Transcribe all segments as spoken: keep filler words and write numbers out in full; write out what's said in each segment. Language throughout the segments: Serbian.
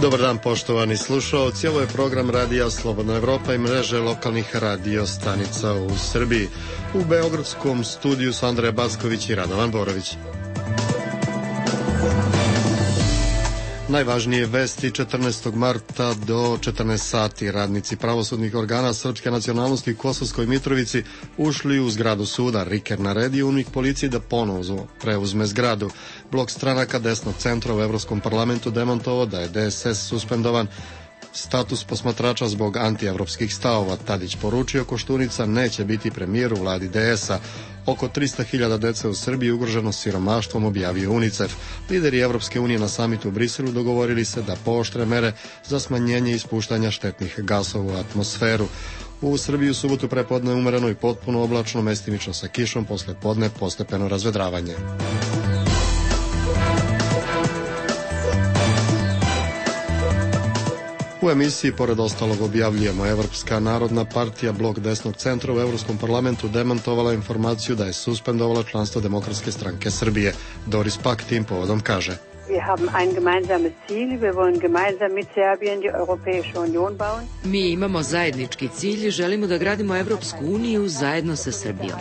Dobar dan, poštovani slušaoci. Ovo je program Radija Slobodna Evropa i mreže lokalnih radio stanica u Srbiji. U beogradskom studiju su Andreja Backović i Radovan Borović. Najvažnije vesti četrnaestog marta do četrnaest sati. Radnici pravosudnih organa srpske nacionalnosti u Kosovskoj Mitrovici ušli u zgradu suda. Riker naredio UNMIK policiji da ponovo preuzme zgradu. Blok stranaka desnog centra u Evropskom parlamentu demantovao da je D S S suspendovan status posmatrača zbog antievropskih stavova. Tadić poručio Koštunica neće biti premijer u vladi D S-a. Oko trista hiljada dece u Srbiji ugroženo siromaštvom, objavio UNICEF. Lideri Evropske unije na samitu u Briselu dogovorili se da pooštre mere za smanjenje ispuštanja štetnih gasova u atmosferu. U Srbiji u subotu prepodne umereno i potpuno oblačno, mestimično sa kišom, posle podne postepeno razvedravanje. U emisiji, pored ostalog, objavljujemo Evropska narodna partija, blok desnog centra u Evropskom parlamentu demantovala informaciju da je suspendovala članstvo Demokratske stranke Srbije. Doris Pak tim povodom kaže: Mi imamo zajednički cilj, želimo da gradimo Evropsku uniju zajedno sa Srbijom.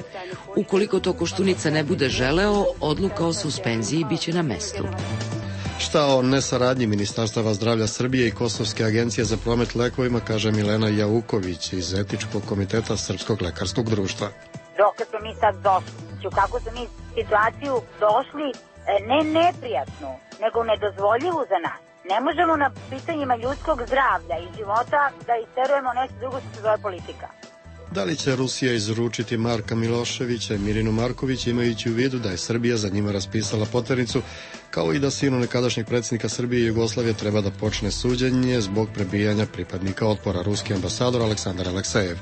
Ukoliko to Koštunica ne bude želeo, odluka o suspenziji biće na mestu. Šta o nesaradnji Ministarstava zdravlja Srbije i Kosovske agencije za promet lekovima kaže Milena Jauković iz Etičkog komiteta Srpskog lekarskog društva. Dokle smo mi sad došli, u kakvu smo mi situaciju došli, ne neprijatnu, nego nedozvoljivu za nas. Ne možemo na pitanjima ljudskog zdravlja i života da isterujemo nešto drugo što se zove politika. Da li će Rusija izručiti Marka Miloševića i Mirinu Marković, imajući u vidu da je Srbija za njima raspisala poternicu, kao i da sinu nekadašnjeg predsjednika Srbije i Jugoslavije treba da počne suđenje zbog prebijanja pripadnika otpora. Ruski ambasador Aleksandar Aleksejev.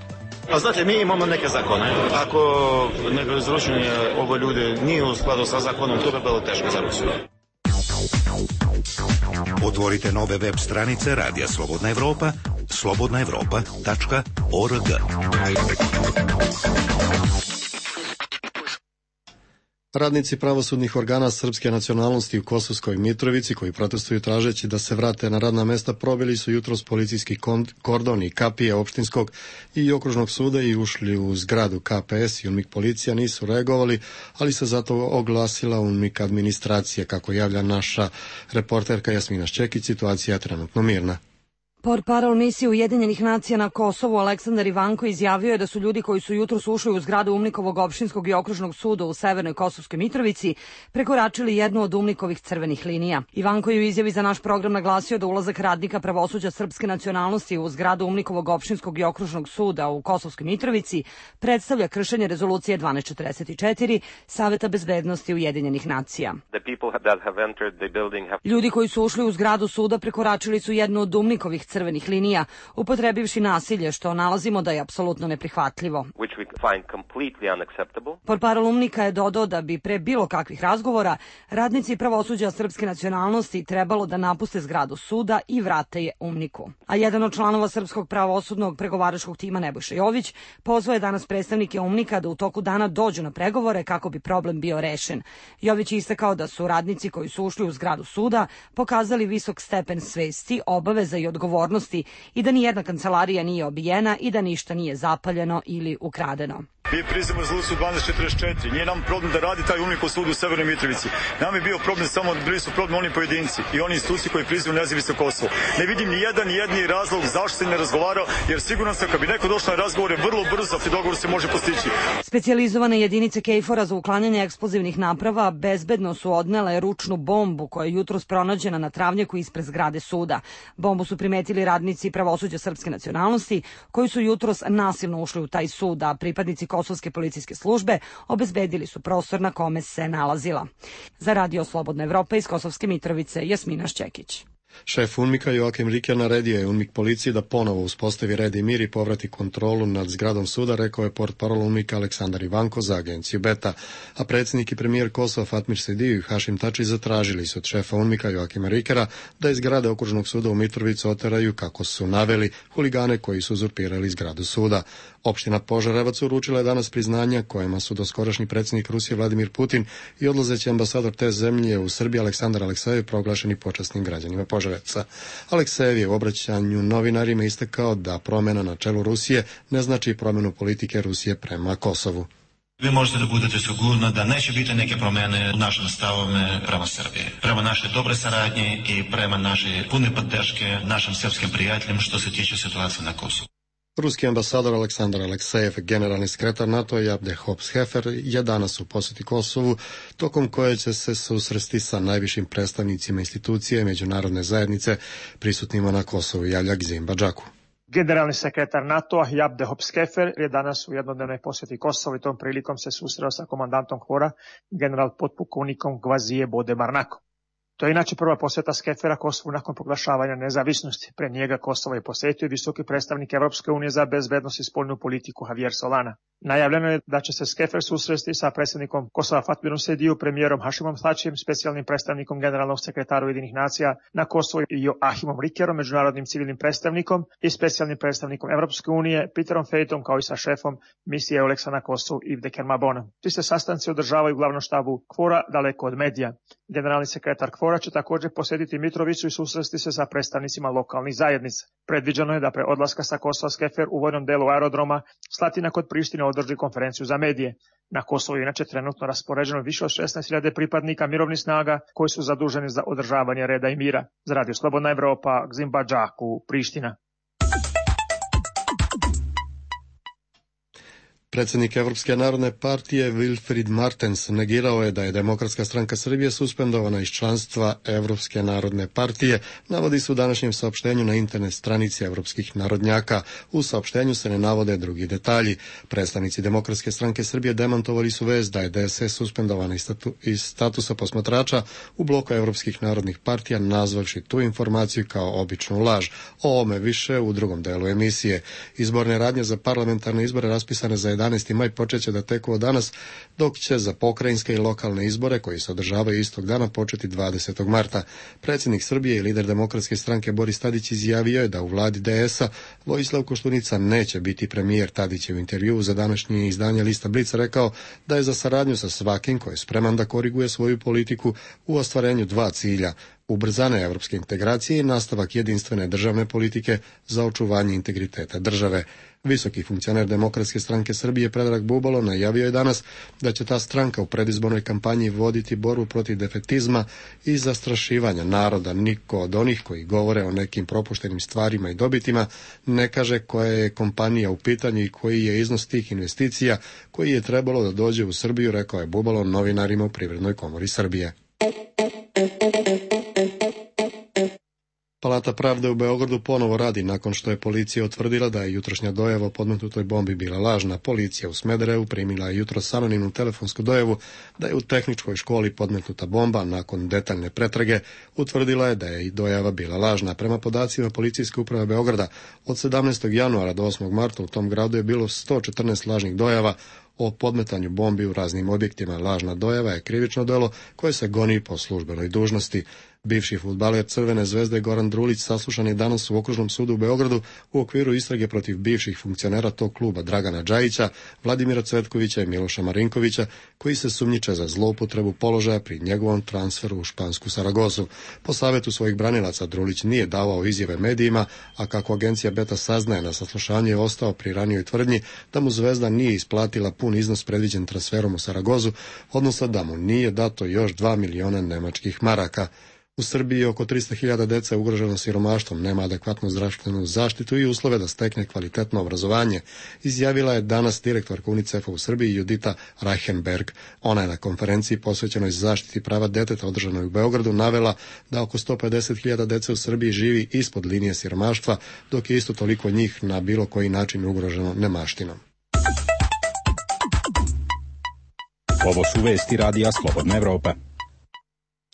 A znate, mi imamo neke zakone. Ako nego izručenje ovo ljude nije u skladu sa zakonom, to bi bilo teško za Rusiju. Otvorite nove web stranice Radija Slobodna Evropa, slobodna evropa tačka org. Radnici pravosudnih organa srpske nacionalnosti u Kosovskoj Mitrovici, koji protestuju tražeći da se vrate na radna mesta, probili su jutros policijski kordon i kapije opštinskog i okružnog suda i ušli u zgradu. K P S i UNMIK policija nisu reagovali, ali se zato oglasila UNMIK administracija. Kako javlja naša reporterka Jasmina Šćekić, situacija je trenutno mirna. Portparol misije Ujedinjenih nacija na Kosovu Aleksandar Ivanko izjavio je da su ljudi koji su jutros ušli u zgradu UNMIK-ovog opštinskog i okružnog suda u Severnoj Kosovskoj Mitrovici prekoračili jednu od UNMIK-ovih crvenih linija. Ivanko je u izjavi za naš program naglasio da ulazak radnika pravosuđa srpske nacionalnosti u zgradu UNMIK-ovog opštinskog i okružnog suda u Kosovskoj Mitrovici predstavlja kršenje rezolucije dvanaest četrdeset četiri Saveta bezbednosti Ujedinjenih nacija. Ljudi koji su ušli u zgradu suda prekoračili su jednu od UNMIK-ovih crvenih linija, upotrebivši nasilje, što nalazimo da je apsolutno neprihvatljivo. Portparol UNMIK-a je dodao da bi pre bilo kakvih razgovora radnici pravosuđa srpske nacionalnosti trebalo da napuste zgradu suda i vrate je UNMIK-u. A jedan od članova srpskog pravosudnog pregovaračkog tima, Nebojša Jović, pozvao je danas predstavnike UNMIK-a da u toku dana dođu na pregovore kako bi problem bio rešen. Jović je istakao da su radnici koji su ušli u zgradu suda pokazali visok stepen svesti, obaveza i odgovornosti i da nijedna kancelarija nije obijena i da ništa nije zapaljeno ili ukradeno. Mi priznamo rezoluciju dvanaest četrdeset četiri. Nije nam problem da radi taj UNMIK sud u Severnoj Mitrovici. Nam je bio problem samo, bili su problem oni pojedinci i oni institucije koji priznaju nezavisno Kosovo. Ne vidim ni jedan, ni jedni razlog zašto se ne razgovara, jer sigurno sam kad bi neko došao na razgovore vrlo brzo, a dogovor se može postići. Specijalizovane jedinice KFOR-a za uklanjanje eksplozivnih naprava bezbedno su odnele ručnu bombu koja je jutros pronađena na travnjaku ispred zgrade suda. Bombu su primetili radnici pravosuđa srpske nacionalnosti koji su jutros nasilno ušli u taj sud, a pripadnici Kosovske policijske službe obezbedili su prostor na kome se nalazila. Za Radio Slobodna Evropa iz Kosovske Mitrovice, Jasmina Šćekić. Šef UNMIK-a Joakim Riker naredio je UNMIK policiji da ponovo uspostavi red i mir i povrati kontrolu nad zgradom suda, rekao je portparol UNMIK-a Aleksandar Ivanko za agenciju Beta. A predsjednik i premijer Kosova Fatmir Sediju i Hašim Tači zatražili su od šefa UNMIK-a Joakima Rikera da iz zgrade okružnog suda u Mitrovicu oteraju, kako su naveli, huligane koji su uzurpirali zgradu suda. Opština Požarevac uručila je danas priznanja kojima su doskorašnji predsjednik Rusije Vladimir Putin i odlazeći ambasador te zemlje u Srbiji Aleksandar Aleksejev proglašeni počasnim građanima Požarevca. Požarevca. Aleksejev je u obraćanju novinarima istakao da promjena na čelu Rusije ne znači promjenu politike Rusije prema Kosovu. Vi možete da budete sigurni da neće biti neke promjene u našim stavovima prema Srbiji. Prema našoj dobre saradnji i prema našoj pune podrške našim srpskim prijateljima što se tiče situacije na Kosovu. Ruski ambasador Aleksandar Aleksejev, generalni sekretar NATO Jabde Hops-Hefer je danas u posjeti Kosovu, tokom koje će se susresti sa najvišim predstavnicima institucije međunarodne zajednice prisutnima na Kosovu, javlja Gzim Badžaku. Generalni sekretar NATO-a Jabde Hops-Hefer je danas u jednodnevnoj posjeti Kosovu i tom prilikom se susreo sa komandantom KFOR-a, general potpukovnikom Gvazije Bode Marnakom. To je inače prva posjeta Skefera Kosovu nakon proglašavanja nezavisnosti. Pre njega Kosovo je posjetio visoki predstavnik Evropske unije za bezbednost i spoljnu politiku Javier Solana. Najavljeno je da će se Skefer susresti sa predsjednikom Kosova Fatmirom Sediju, premijerom Hašimom Thačijem, specijalnim predstavnikom generalnog sekretara Ujedinjenih nacija na Kosovu Joachimom Rickerom, međunarodnim civilnim predstavnikom i specijalnim predstavnikom Evropske unije Peterom Fejtom, kao i sa šefom misije Euleksa na Kosovu Yves Kermabonom. Ti se sastanci održavaju u glavnom štabu KFOR-a daleko od medija. Generalni sekretar KFOR-a će također posjetiti Mitrovicu i susresti se sa predstavnicima lokalnih zajednica. Predviđeno je da pre odlaska sa Kosova Skefer u vojnom delu aerodroma Slatina kod Prištine održi konferenciju za medije. Na Kosovu je inače trenutno raspoređeno više od šesnaest hiljada pripadnika mirovnih snaga koji su zaduženi za održavanje reda i mira. Za Radio Slobodna Evropa, Gzim Badžaku, Priština. Predsjednik Evropske narodne partije Wilfried Martens negirao je da je Demokratska stranka Srbije suspendovana iz članstva Evropske narodne partije, navodi se u današnjem saopštenju na internet stranici Evropskih narodnjaka. U saopštenju se ne navode drugi detalji. Predstavnici Demokratske stranke Srbije demantovali su vest da je D S S suspendovana iz, statu, iz statusa posmatrača u bloku Evropskih narodnih partija, nazvavši tu informaciju kao običnu laž. O ovome više u drugom delu emisije. Izborne radnje za parlamentarne izbore raspisane za jedanaesti maj počeće da teku od danas, dok će za pokrajinske i lokalne izbore, koji se održavaju istog dana, početi dvadesetog marta. Predsjednik Srbije i lider Demokratske stranke Boris Tadić izjavio je da u vladi D S-a Vojislav Koštunica neće biti premijer. Tadić je u intervjuu za današnje izdanje Lista Blic rekao da je za saradnju sa svakim koji je spreman da koriguje svoju politiku u ostvarenju dva cilja: ubrzane evropske integracije i nastavak jedinstvene državne politike za očuvanje integriteta države. Visoki funkcioner Demokratske stranke Srbije Predrag Bubalo najavio je danas da će ta stranka u predizbornoj kampanji voditi borbu protiv defetizma i zastrašivanja naroda. Niko od onih koji govore o nekim propuštenim stvarima i dobitima ne kaže koja je kompanija u pitanju i koji je iznos tih investicija koji je trebalo da dođe u Srbiju, rekao je Bubalo novinarima u Privrednoj komori Srbije. Palata pravde u Beogradu ponovo radi nakon što je policija utvrdila da je jutrošnja dojava o podmetnutoj bombi bila lažna. Policija u Smederevu primila je jutros anonimnu telefonsku dojavu da je u tehničkoj školi podmetnuta bomba. Nakon detaljne pretrage utvrdila je da je i dojava bila lažna. Prema podacima Policijske uprave Beograda, od sedamnaestog januara do osmog marta u tom gradu je bilo sto četrnaest lažnih dojava o podmetanju bombi u raznim objektima. Lažna dojava je krivično delo koje se goni po službenoj dužnosti. Bivši fudbaler Crvene zvezde Goran Drulić saslušan je danas u Okružnom sudu u Beogradu u okviru istrage protiv bivših funkcionera tog kluba Dragana Džajića, Vladimira Cvetkovića i Miloša Marinkovića, koji se sumnjiče za zloupotrebu položaja pri njegovom transferu u špansku Saragosu. Po savjetu svojih branilaca Drulić nije davao izjave medijima, a kako agencija Beta saznaje, na saslušanju je ostao pri ranijoj tvrdnji da mu Zvezda nije isplatila pun iznos predviđen transferom u Saragozu, odnosno da mu nije dato još dva miliona nemačkih maraka. U Srbiji oko tristo hiljada dece je ugroženo siromaštvom, nema adekvatnu zdravstvenu zaštitu i uslove da stekne kvalitetno obrazovanje, izjavila je danas direktorka UNICEF-a u Srbiji Judita Reichenberg. Ona je na konferenciji posvećenoj zaštiti prava deteta održanoj u Beogradu navela da oko sto pedeset hiljada dece u Srbiji živi ispod linije siromaštva, dok je isto toliko njih na bilo koji način ugroženo nemaštinom. Ovo su vesti Radija Slobodna Evropa.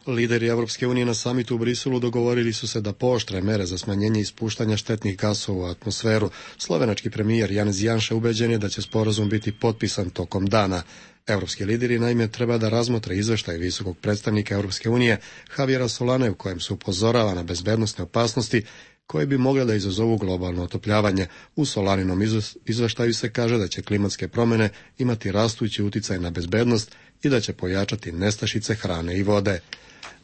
Lideri Evropske unije na samitu u Briselu dogovorili su se da pooštre mere za smanjenje ispuštanja štetnih gasova u atmosferu. Slovenački premijer Janez Janša ubeđen je da će sporazum biti potpisan tokom dana. Evropski lideri naime treba da razmotre izveštaj visokog predstavnika Evropske unije Javiera Solane u kojem se upozorava na bezbednosne opasnosti koje bi mogle da izazovu globalno otopljavanje. U Solaninom izveštaju se kaže da će klimatske promjene imati rastući uticaj na bezbednost i da će pojačati nestašice hrane i vode.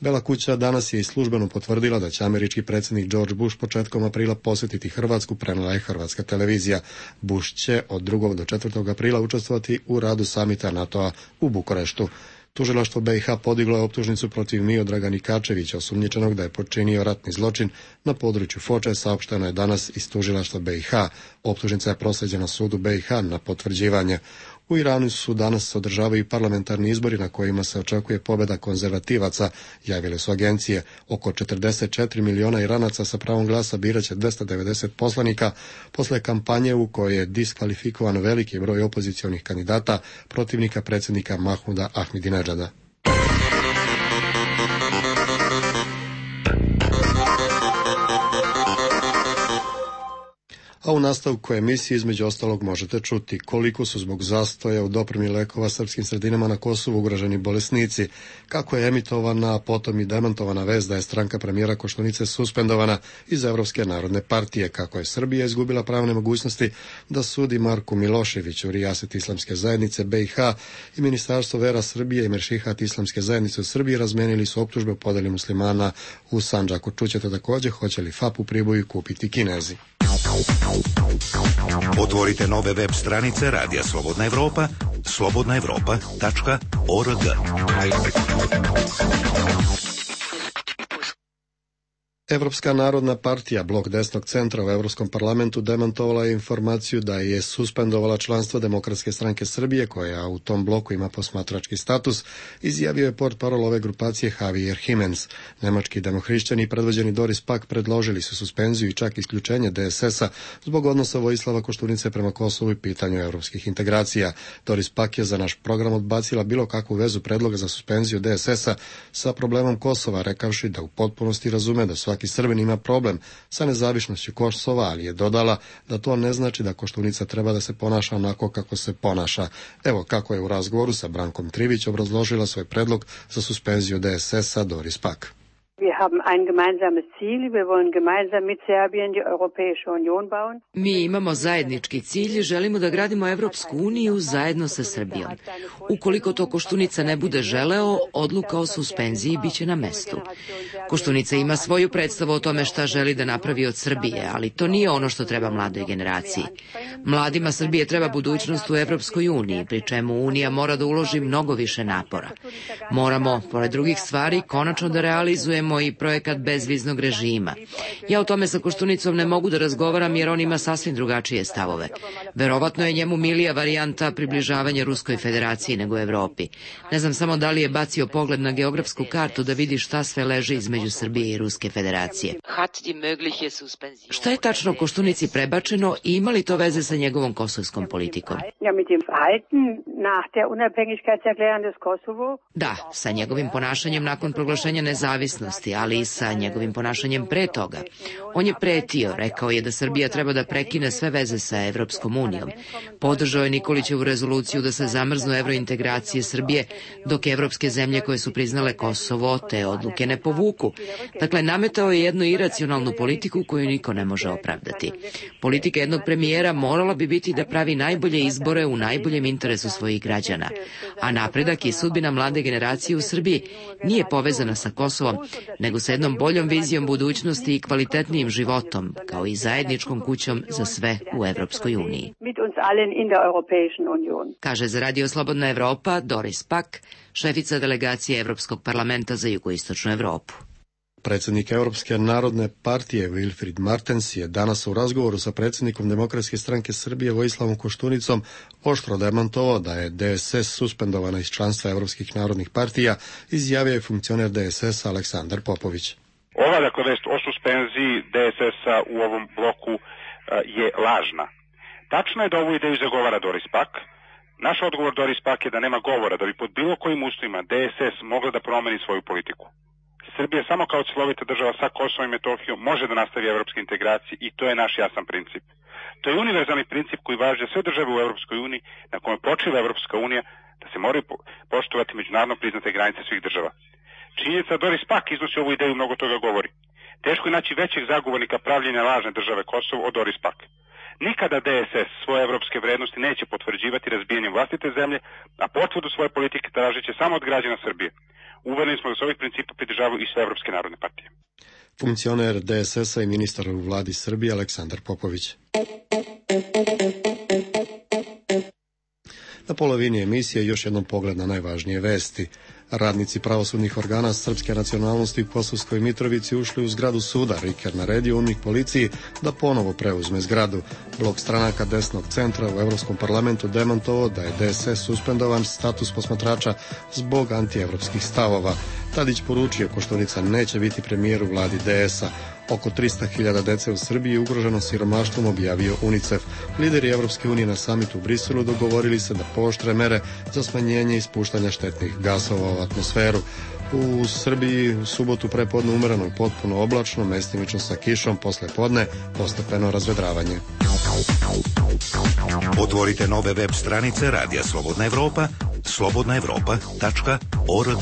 Bela kuća danas je i službeno potvrdila da će američki predsjednik George Bush početkom aprila posjetiti Hrvatsku, prenijela je hrvatska televizija. Bush će od drugog do četvrtog aprila učestvovati u radu samita NATO-a u Bukureštu. Tužilaštvo B i H podiglo je optužnicu protiv Miodraga Nikačevića, osumnjičenog da je počinio ratni zločin na području Foče, saopšteno je danas iz tužilaštva B i H. Optužnica je proslijeđena sudu B i H na potvrđivanje. U Iranu su danas održavaju parlamentarni izbori na kojima se očekuje pobjeda konzervativaca, javile su agencije. Oko četrdeset četiri miliona Iranaca sa pravom glasa biraće dvesta devedeset poslanika posle kampanje u kojoj je diskvalifikovan veliki broj opozicionih kandidata protivnika predsjednika Mahmuda Ahmadinedžada. A u nastavku emisije između ostalog možete čuti koliko su zbog zastoja u dopremi lekova srpskim sredinama na Kosovu ugroženi bolesnici, kako je emitovana, a potom i demantovana vest da je stranka premijera Koštunice suspendovana iz Evropske narodne partije, kako je Srbija izgubila pravne mogućnosti da sudi Marku Miloševiću, rijaset islamske zajednice B i H i Ministarstvo vera Srbije i Meršihat islamske zajednice u Srbiji razmenili su optužbe o podeli muslimana u Sandžaku. Čućete također hoće li F A P u Priboju kupiti Kinezi. Otvorite nove web stranice Radija Slobodna Evropa, slobodna evropa tačka org. Evropska narodna partija, blok desnog centra u Evropskom parlamentu, demantovala je informaciju da je suspendovala članstvo Demokratske stranke Srbije, koja u tom bloku ima posmatrački status, izjavio je portparol ove grupacije Javier Jimenez. Nemački demohrišćani predvođeni Doris Pack predložili su suspenziju i čak isključenje D S S-a zbog odnosa Vojislava Koštunice prema Kosovu i pitanju evropskih integracija. Doris Pack je za naš program odbacila bilo kakvu vezu predloga za suspenziju D S S-a sa problemom Kosova, rekavši da u potpunosti razume da svaki Srbin ima problem sa nezavisnošću Kosova, ali je dodala da to ne znači da Koštunica treba da se ponaša onako kako se ponaša. Evo kako je u razgovoru sa Brankom Trivić obrazložila svoj predlog za suspenziju D S S-a Doris Pack. Mi imamo zajednički cilj, želimo da gradimo Evropsku uniju zajedno sa Srbijom. Ukoliko to Koštunica ne bude želeo, odluka o suspenziji biće na mestu. Koštunica ima svoju predstavu o tome šta želi da napravi od Srbije, ali to nije ono što treba mladoj generaciji. Mladima Srbije treba budućnost u Evropskoj uniji, pri čemu Unija mora da uloži mnogo više napora. Moramo, pored drugih stvari, konačno da realizujemo i projekat bezviznog režima. Ja o tome sa Koštunicom ne mogu da razgovaram jer on ima sasvim drugačije stavove. Verovatno je njemu milija varijanta približavanja Ruskoj federaciji nego Evropi. Ne znam samo da li je bacio pogled na geografsku kartu da vidi šta sve leži između Srbije i Ruske federacije. Šta je tačno Koštunici prebačeno i ima li to veze sa njegovom kosovskom politikom? Da, sa njegovim ponašanjem nakon proglašenja nezavisnosti, ali i sa njegovim ponašanjem pre toga. On je pretio, rekao je da Srbija treba da prekine sve veze sa Evropskom unijom. Podržao je Nikolićevu rezoluciju da se zamrznu evrointegracije Srbije, dok evropske zemlje koje su priznale Kosovo te odluke ne povuku. Dakle, nametao je jednu iracionalnu politiku koju niko ne može opravdati. Politika jednog premijera morala bi biti da pravi najbolje izbore u najboljem interesu svojih građana. A napredak i sudbina mlade generacije u Srbiji nije povezana sa Kosovom, nego sa jednom boljom vizijom budućnosti i kvalitetnijim životom, kao i zajedničkom kućom za sve u Evropskoj uniji. Kaže za Radio Slobodna Evropa Doris Pack, šefica delegacije Evropskog parlamenta za jugoistočnu Evropu. Predsjednik Europske narodne partije Wilfried Martens je danas u razgovoru sa predsjednikom Demokratske stranke Srbije Vojislavom Koštunicom oštro demantovao da je D S S suspendovana iz članstva Evropskih narodnih partija, izjavio je funkcioner D S S Aleksandar Popović. Ova dakle vest o suspenziji D S S-a u ovom bloku je lažna. Tačno je da ovu ideju zagovara Doris Pack. Naš odgovor Doris Pack je da nema govora da bi pod bilo kojim uslovima D S S mogla da promeni svoju politiku. Srbija samo kao cjelovita država sa Kosovom i Metohijom može da nastavi evropske integracije i to je naš jasan princip. To je univerzalni princip koji važi za sve države u Evropskoj uniji, na kome počiva Evropska unija, da se moraju poštovati međunarodno priznate granice svih država. Činjenica Doris Pack iznosi ovu ideju, mnogo toga govori. Teško je naći većeg zagovornika pravljenja lažne države Kosovo od Doris Pack. Nikada D S S svoje evropske vrednosti neće potvrđivati razbijanjem vlastite zemlje, a potvrdu svoje politike tražit će samo od građana Srbije. Uvereni smo da se ovih principa pridržavaju i sve evropske narodne partije. Funkcioner D S S-a i ministar u vladi Srbije Aleksandar Popović. Na polovini emisije još jednom pogled na najvažnije vesti. Radnici pravosudnih organa srpske nacionalnosti u Kosovskoj Mitrovici ušli u zgradu suda. Riker naredio UNMIK policiji da ponovo preuzme zgradu. Blok stranaka desnog centra u Evropskom parlamentu demantovao da je D S S suspendovan status posmatrača zbog antievropskih stavova. Tadić poručio Koštunica neće biti premijer u vladi D S-a. Oko trista hiljada dece u Srbiji je ugroženo siromaštvom, objavio UNICEF. Lideri Evropske unije na samitu u Briselu dogovorili se da pooštre mere za smanjenje ispuštanja štetnih gasova u atmosferu. U Srbiji u subotu prepodne umereno i potpuno oblačno, mestimično sa kišom, posle podne postepeno razvedravanje. Otvorite nove web stranice Radija Slobodna Evropa, slobodna evropa tačka org.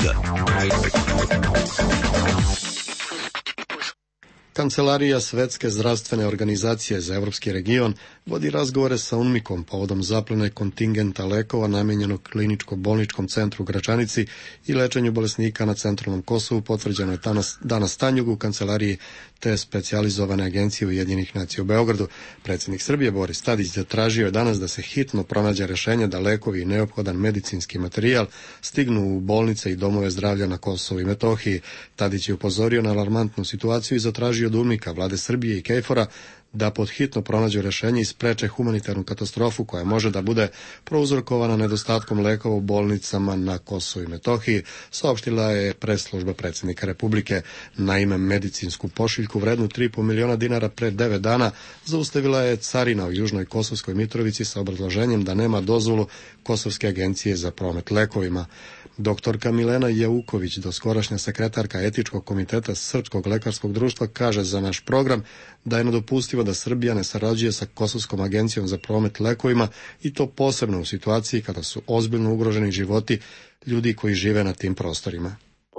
Kancelarija Svetske zdravstvene organizacije za Evropski region vodi razgovore sa UNMIK-om povodom zaplene kontingenta lekova namijenjenog kliničko-bolničkom centru u Gračanici i lečenju bolesnika na centralnom Kosovu, potvrđeno je danas, danas Tanjugu u kancelariji te specijalizovane agencije Ujedinjenih nacija u Beogradu. Predsjednik Srbije Boris Tadić zatražio je danas da se hitno pronađe rešenje da lekovi i neophodan medicinski materijal stignu u bolnice i domove zdravlja na Kosovu i Metohiji. Tadić je upozorio na alarmantnu situaciju i zatražio od UNMIK-a, vlade Srbije i Kejfora da pod hitno pronađu rešenje i spreče humanitarnu katastrofu koja može da bude prouzrokovana nedostatkom lekova u bolnicama na Kosovu i Metohiji, saopštila je press-služba predsjednika Republike. Naime, medicinsku pošiljku vrednu tri i po miliona dinara pre devet dana zaustavila je carina u južnoj Kosovskoj Mitrovici sa obrazloženjem da nema dozvolu Kosovske agencije za promet lekovima. Doktorka Milena Jauković, doskorašnja sekretarka etičkog komiteta Srpskog lekarskog društva, kaže za naš program da je nedopustivo da Srbija ne sarađuje sa Kosovskom agencijom za promet lekovima i to posebno u situaciji kada su ozbiljno ugroženi životi ljudi koji žive na tim prostorima.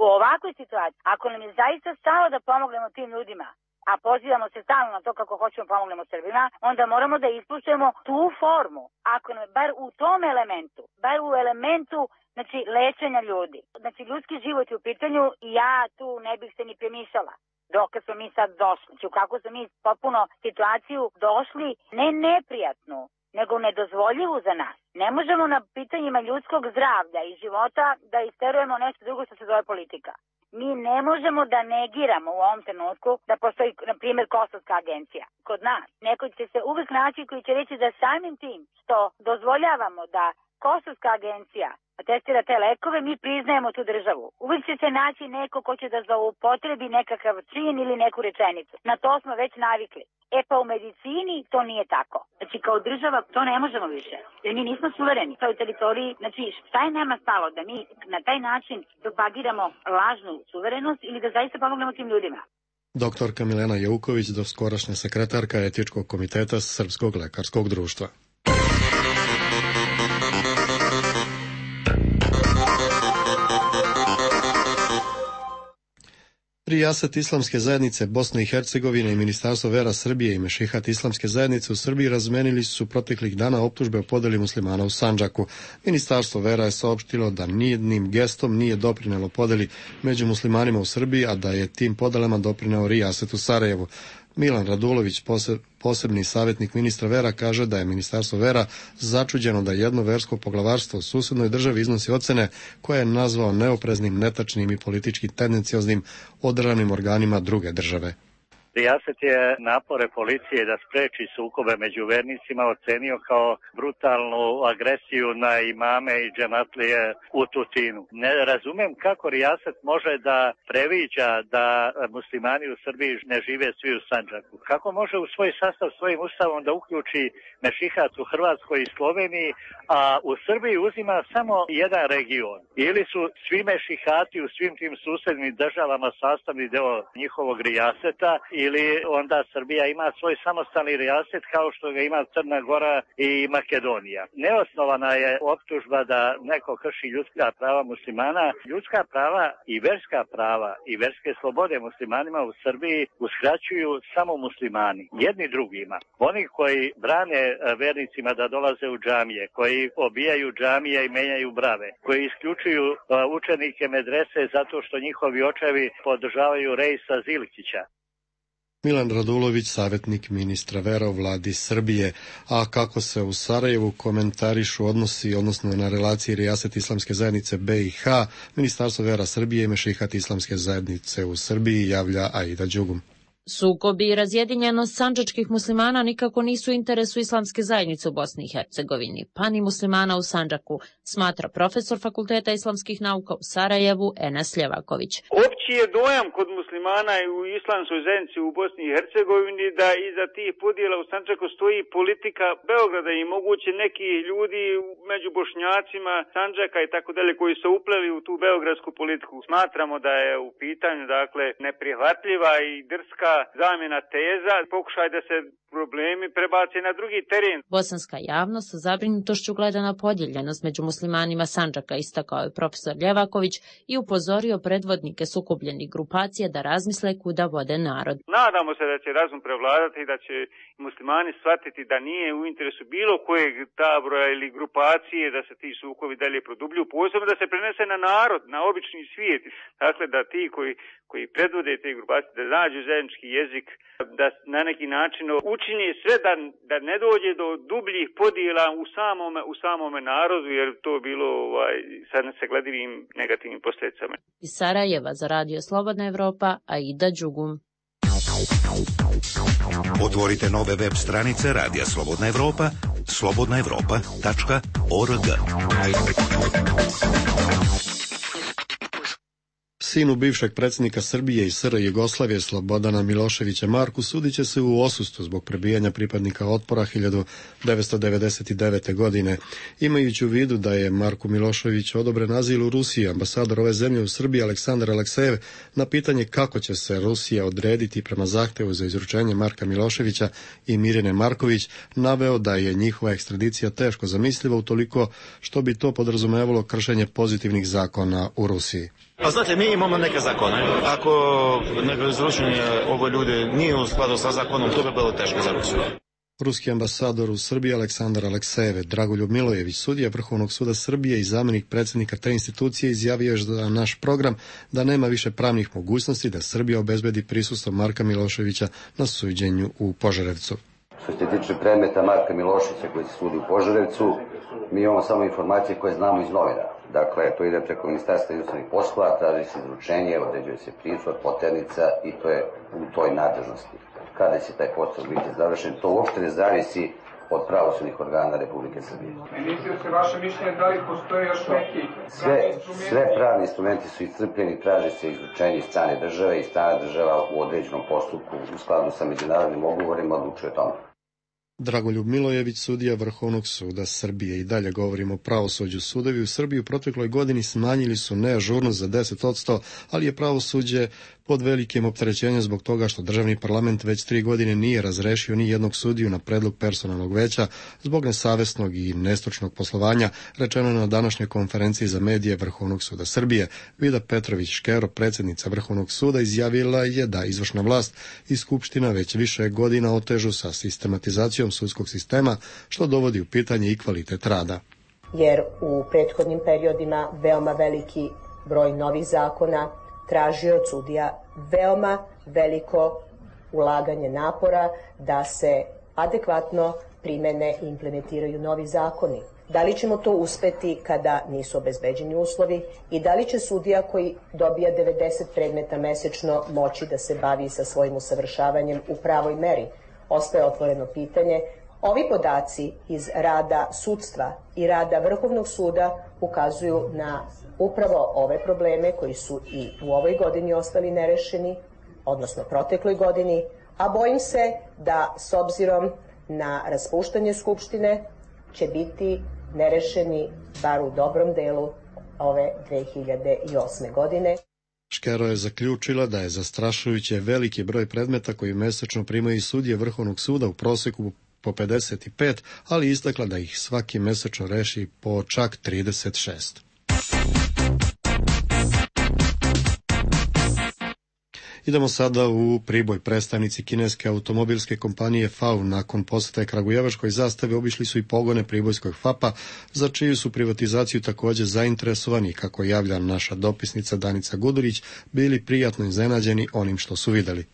U ovakvoj situaciji, ako nam je zaista stalo da pomognemo tim ljudima, a pozivamo se stalno na to kako hoćemo pomognemo Srbima, onda moramo da ispuštujemo tu formu. Ako nam je bar u tom elementu, bar u elementu znači lečenja ljudi. Znači ljudski život je u pitanju i ja tu ne bih se ni premišljala. Dok smo mi sad došli, znači u kako smo mi potpuno situaciju došli, ne neprijatnu, nego nedozvoljivu za nas. Ne možemo na pitanjima ljudskog zdravlja i života da isterujemo nešto drugo što se zove politika. Mi ne možemo da negiramo u ovom trenutku da postoji, na primjer, Kosovska agencija kod nas. Neko će se uvijek naći koji će reći da samim tim što dozvoljavamo da Kosovska agencija testira te lekove, mi priznajemo tu državu. Uvijek će se naći neko ko će da zloupotrebi nekakav čin ili neku rečenicu. Na to smo već navikli. E pa u medicini to nije tako. Znači kao država to ne možemo više. Jer mi nismo suvereni. To je teritoriji, znači šta je nama stalo da mi na taj način propagiramo lažnu suverenost ili da zaista pomognemo tim ljudima. Doktorka Milena Jauković, doskorašnja sekretarka etičkog komiteta Srpskog lekarskog društva. Rijaset Islamske zajednice Bosne i Hercegovine i Ministarstvo vera Srbije i Mešihat Islamske zajednice u Srbiji razmenili su proteklih dana optužbe o podeli muslimana u Sandžaku. Ministarstvo vera je saopštilo da nijednim gestom nije doprinelo podeli među muslimanima u Srbiji, a da je tim podelama doprineo Rijaset u Sarajevu. Milan Radulović, posebni savjetnik ministra vera, kaže da je Ministarstvo vera začuđeno da jedno versko poglavarstvo u susednoj državi iznosi ocene koje je nazvao neopreznim, netačnim i politički tendencioznim održanim organima druge države. Rijaset je napore policije da spreči sukobe među vernicima ocenio kao brutalnu agresiju na imame i džematlije u Tutinu. Ne razumem kako Rijaset može da previđa da muslimani u Srbiji ne žive svi u Sandžaku. Kako može u svoj sastav svojim ustavom da uključi mešihat u Hrvatskoj i Sloveniji, a u Srbiji uzima samo jedan region. Ili su svi mešihati u svim tim susednim državama sastavni deo njihovog Rijaseta, ili ili onda Srbija ima svoj samostalni rijaset kao što ga ima Crna Gora i Makedonija. Neosnovana je optužba da neko krši ljudska prava muslimana. Ljudska prava i verska prava i verske slobode muslimanima u Srbiji uskraćuju samo muslimani, jedni drugima. Oni koji brane vernicima da dolaze u džamije, koji obijaju džamije i menjaju brave, koji isključuju učenike medrese zato što njihovi očevi podržavaju Rejsa Zilkića. Milan Radulović, savjetnik ministra vera u vladi Srbije. A kako se u Sarajevu komentarišu odnosi, odnosno na relaciji Rijaset Islamske zajednice B i H, Ministarstvo vera Srbije i Mešihat Islamske zajednice u Srbiji, javlja Aida Đugum. Sukobi i razjedinjenost sandžačkih muslimana nikako nisu u interesu Islamske zajednice u Bosni i Hercegovini, pa ni muslimana u Sandžaku, smatra profesor Fakulteta islamskih nauka u Sarajevu Enes Ljevaković. Opći je dojam kod muslimana i u Islamskoj zajednici u Bosni i Hercegovini da iza tih podjela u Sandžaku stoji politika Beograda i moguće neki ljudi među Bošnjacima, Sandžaka i tako dalje koji su upleli u tu beogradsku politiku. Smatramo da je u pitanju dakle neprihvatljiva i drska zamjena teza, pokušaj da se problemi prebace na drugi teren. Bosanska javnost sa zabrinutošću gleda na podijeljenost među muslimanima Sandžaka, istakao je profesor Ljevaković i upozorio predvodnike sukobljenih grupacija da razmisle kuda vode narod. Nadamo se da će razum prevladati i da će muslimani shvatiti da nije u interesu bilo kojeg tabora ili grupacije da se ti sukovi dalje produbljuju, posebno da se prenese na narod, na obični svijet. Dakle, da ti koji, koji predvode te grupacije, da nađu zajednički jezik, da na neki način učini sve da, da ne dođe do dubljih podjela u samome, u samome narodu, jer to je bilo ovaj, sa nesagledivim negativnim posljedicama. Iz Sarajeva za Radio Slobodna Evropa, Aida Đugum. Otvorite nove web stranice Radija Slobodna Evropa, slobodna evropa tačka org. Sinu bivšeg predsjednika Srbije i S R Jugoslavije Slobodana Miloševića Marku sudit će se u odsustvu zbog prebijanja pripadnika Otpora hiljadu devetsto devedeset devete. godine. Imajući u vidu da je Marku Miloševiću odobren azil u Rusiji, ambasador ove zemlje u Srbiji Aleksandar Aleksejev na pitanje kako će se Rusija odrediti prema zahtevu za izručenje Marka Miloševića i Mirjane Marković, naveo da je njihova ekstradicija teško zamisliva utoliko što bi to podrazumevalo kršenje pozitivnih zakona u Rusiji. A znate, mi imamo neke zakone. Ako neko izručenje ove ljude nije u skladu sa zakonom, to bi bilo teško za Rusiju. Ruski ambasador u Srbiji Aleksandar Aleksejev, Dragoljub Milojević, sudija Vrhovnog suda Srbije i zamjenik predsjednika te institucije, izjavio je za naš program da nema više pravnih mogućnosti da Srbija obezbedi prisustvo Marka Miloševića na suđenju u Požarevcu. Što se tiče predmeta Marka Miloševića koji se sudi u Požarevcu, mi imamo samo informacije koje znamo iz novina. Dakle, to ide preko Ministarstva inostranih poslova, traži se izručenje, određuje se pritvor, poternica i to je u toj nadležnosti. Kada će taj postupak biti završen, to uopšte ne zavisi od pravosudnih organa Republike Srbije. Ministre, se vaše mišljenje da li postoje još neki sve, sve pravni instrumenti su iscrpljeni, traži se izručenje iz strane države i strana država u određenom postupku u skladu sa međunarodnim ugovorima odlučuje o tome. Dragoljub Milojević, sudija Vrhovnog suda Srbije. I dalje govorimo o pravosuđu. Sudovi u Srbiji u protekloj godini smanjili su neažurnost za deset posto, ali je pravosuđe pod velikim opterećenjem zbog toga što državni parlament već tri godine nije razrešio ni jednog sudiju na predlog personalnog veća zbog nesavesnog i nestručnog poslovanja, rečeno na današnjoj konferenciji za medije Vrhovnog suda Srbije. Vida Petrović-Škero, predsjednica Vrhovnog suda, izjavila je da izvršna vlast i Skupština već više godina otežu sa sistematizacijom sudskog sistema, što dovodi u pitanje i kvalitet rada. Jer u prethodnim periodima veoma veliki broj novih zakona tražio od sudija veoma veliko ulaganje napora da se adekvatno primene i implementiraju novi zakoni. Da li ćemo to uspeti kada nisu obezbeđeni uslovi i da li će sudija koji dobija devedeset predmeta mesečno moći da se bavi sa svojim usavršavanjem u pravoj meri? Ostaje otvoreno pitanje. Ovi podaci iz rada sudstva i rada Vrhovnog suda ukazuju na upravo ove probleme koji su i u ovoj godini ostali nerešeni, odnosno protekloj godini, a bojim se da s obzirom na raspuštanje Skupštine će biti nerešeni bar u dobrom delu ove dve hiljade osme. godine. Škero je zaključila da je zastrašujuće veliki broj predmeta koji mesečno primaju i sudije Vrhovnog suda, u proseku po pedeset pet, ali istakla da ih svaki mesečno reši po čak trideset šest. Idemo sada u Priboj. Predstavnici kineske automobilske kompanije F A U nakon posete kragujevačkoj zastavi obišli su i pogone pribojskog F A P-a, za čiju su privatizaciju također zainteresovani, kako javlja naša dopisnica Danica Gudurić, bili prijatno iznenađeni onim što su vidjeli.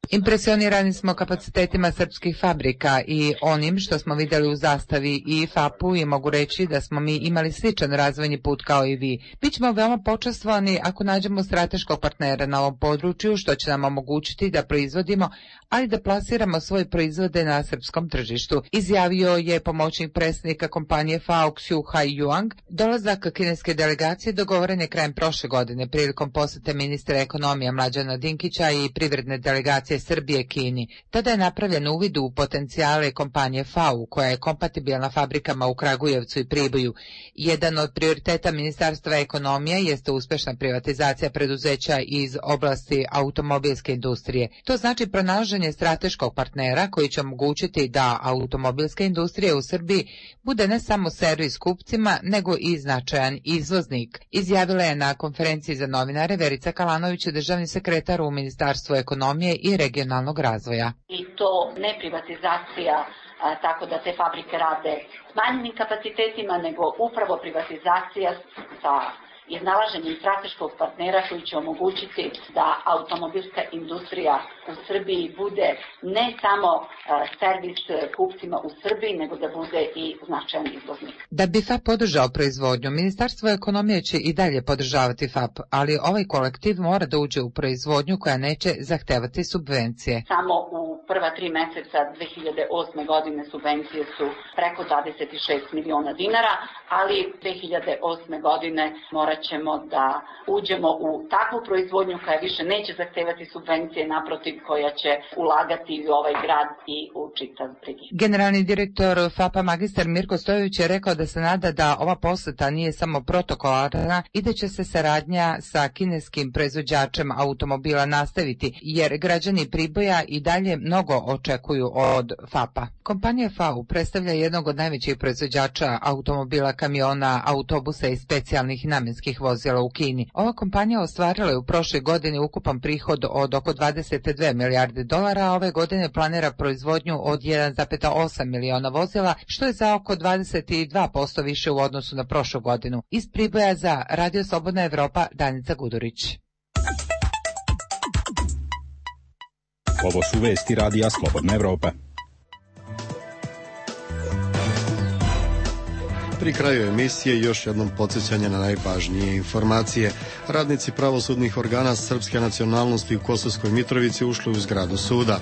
Impresionirani smo kapacitetima srpskih fabrika i onim što smo vidjeli u zastavi i F A P-u i mogu reći da smo mi imali sličan razvojni put kao i vi. Bićemo veoma počastvovani ako nađemo strateškog partnera na ovom području, što će nam omogućiti da proizvodimo, ali da plasiramo svoje proizvode na srpskom tržištu, izjavio je pomoćnik predsjednika kompanije F A U Xiu Hai-Yuang. Dolazak kineske delegacije dogovoren je krajem prošle godine prilikom posete ministra ekonomije Mlađana Dinkića i privredne delegacije Srbije Kini. Tada je napravljen uvid u potencijale kompanije F A U, koja je kompatibilna fabrikama u Kragujevcu i Priboju. Jedan od prioriteta Ministarstva ekonomije jeste uspešna privatizacija preduzeća iz oblasti automobilske industrije. To znači pronalaženje strateškog partnera koji će omogućiti da automobilska industrija u Srbiji bude ne samo servis kupcima, nego i značajan izvoznik. Izjavila je na konferenciji za novinare Verica Kalanović, državni sekretar u Ministarstvu ekonomije i regionalnog razvoja. I to ne privatizacija a, tako da te fabrike rade s manjim kapacitetima, nego upravo privatizacija sa iznalaženjem strateškog partnera koji će omogućiti da automobilska industrija u Srbiji bude ne samo a, servis kupcima u Srbiji, nego da bude i značajan izvoznik. Da bi F A P podržao proizvodnju, Ministarstvo ekonomije će i dalje podržavati F A P, ali ovaj kolektiv mora da uđe u proizvodnju koja neće zahtevati subvencije. Samo u prva tri meseca dve hiljade osme godine subvencije su preko dvadeset šest miliona dinara, ali dve hiljade osme godine morat ćemo da uđemo u takvu proizvodnju koja više neće zahtevati subvencije, naprotiv koja će ulagati u ovaj grad i u čitav region. Generalni direktor F A P-a magistar Mirko Stojević je rekao da se nada da ova poseta nije samo protokolarna i da će se saradnja sa kineskim proizvođačem automobila nastaviti, jer građani Priboja i dalje mnogo očekuju od F A P-a. Kompanija F A U predstavlja jednog od najvećih proizvođača automobila, kamiona, autobusa i specijalnih namenskih vozila u Kini. Ova kompanija ostvarila je u prošloj godini ukupan prihod od oko dvadeset dve milijarde dolara, a ove godine planira proizvodnju od jedan zarez osam miliona vozila, što je za oko dvadeset dva posto više u odnosu na prošlu godinu. Iz Priboja za Radio Slobodna Evropa, Danica Gudurić. Ovo su vesti Radija Slobodna Evropa. Pri kraju emisije još jednom podsjećanje na najvažnije informacije. Radnici pravosudnih organa srpske nacionalnosti u Kosovskoj Mitrovici ušli u zgradu suda.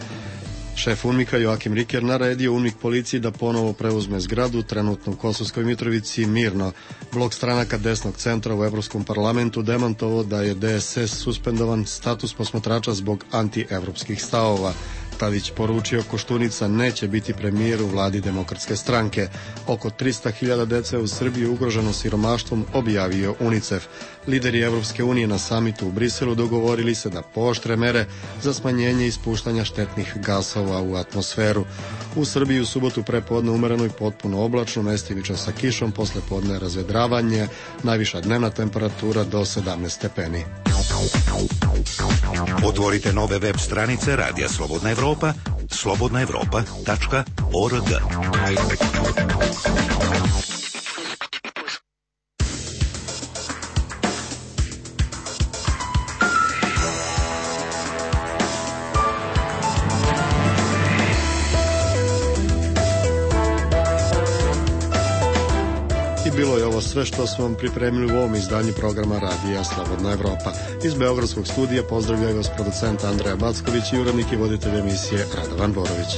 Šef UNMIK-a Joakim Riker naredio UNMIK policiji da ponovo preuzme zgradu, trenutno u Kosovskoj Mitrovici mirno. Blok stranaka desnog centra u Evropskom parlamentu demantovao da je D S S suspendovan status posmatrača zbog antievropskih stavova. Tadić poručio Koštunica neće biti premijer u vladi Demokratske stranke. Oko trista hiljada dece u Srbiji ugroženo siromaštvom, objavio UNICEF. Lideri Evropske unije na samitu u Briselu dogovorili se da pooštre mere za smanjenje ispuštanja štetnih gasova u atmosferu. U Srbiji u subotu prepodne umereno i potpuno oblačno, mestimično sa kišom, posle podne razvedravanje, najviša dnevna temperatura do sedamnaest stepeni. Otvorite nove web stranice Radija Slobodna Evropa, slobodna evropa tačka org. Bilo je ovo sve što smo vam pripremili u ovom izdanju programa Radija Slobodna Evropa. Iz Beogradskog studija pozdravljaju vas producent Andreja Backović i urednik i voditelj emisije Radovan Borović.